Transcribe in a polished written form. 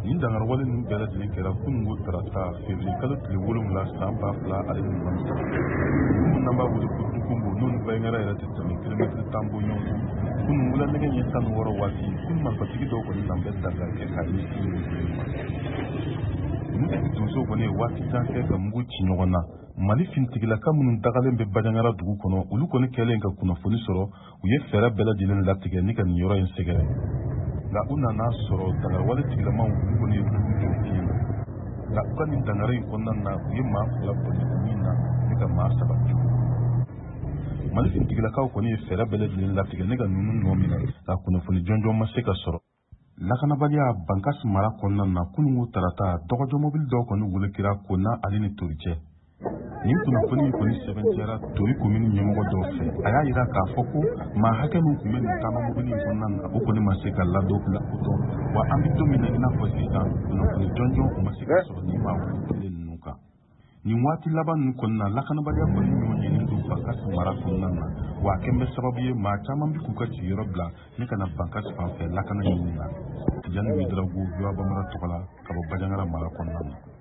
Nin dankariwale ninnu bɛɛ lajɛlen kɛra kununko tarata février kalo tile 7 san 2023. Dugu min n'an b'a wele ko Dukombo, n'o ni Bandiagara yɛrɛ tɛ tɛmɛ kilomɛtiri 10 bɔ ɲɔgɔn kɔ. Kunun wula nɛgɛ ɲɛ 16 waati, kunun marifatigi dɔw kɔni nan bɛ dankari kɛ k'a ɲɛsin nin dugu in ma. Ninnu donsow kɔni ye waati jan kɛ ka mugu ci ɲɔgɔn na. Mali finitigilaka minnu dagalen bɛ Bandiagara dugu kɔnɔ, olu kɔni kɛlen ka kunnafoni sɔrɔ, u ye fɛɛrɛ bɛɛ lajɛlen latigɛ ni ka nin yɔrɔ in sɛgɛrɛ. Nka u nana sɔrɔ dankariwale tigilamaw olu kɔni ye dugu jɔ fiɲɛ na. Nka u ka nin dankari in kɔnɔna na, u ye maa 2 bɔnɛ u ni na ni ka maa 3 jogin. Mali finitigilakaw kɔni ye fɛɛrɛ bɛɛ lajɛlen latigɛ ni ka ninnu nɔ minɛ, nka kunnafoni jɔnjɔn ma se ka sɔrɔ. Lakanabaliya Bankas mara kɔnɔna na, kununko tarata, dɔgɔjɔmɔbili dɔw kɔni wolokira Kona ale ni Tori cɛ. Nin kunnafoni in kɔni sɛbɛntiyara Tori komini ɲɛmɔgɔ dɔw fɛ. A y'a yira k'a fɔ ko maa hakɛ min tun bɛ nin taama mobili in kɔnɔna na, o kɔni ma se ka lakodɔn. Wa an bɛ don min na i n'a fɔ sisan, kunnafoni jɔnjɔn o ma se ka sɔrɔ nin maa wele ninnu kan. Nin waati laban ninnu kɔnɔna na, lakanabaliya kɔni ɲɔgɔn ɲɛnen don Bankas mara kɔnɔna na, wa a kɛn bɛ sababu ye maa caman bɛ k'u ka sigiyɔrɔ bila ni ka na Bankas fan fɛ lakana ɲini na. Tijani Ouédraogo, VOA Bambara tɔgɔ la, ka bɔ Bandiagara mara kɔnɔna na.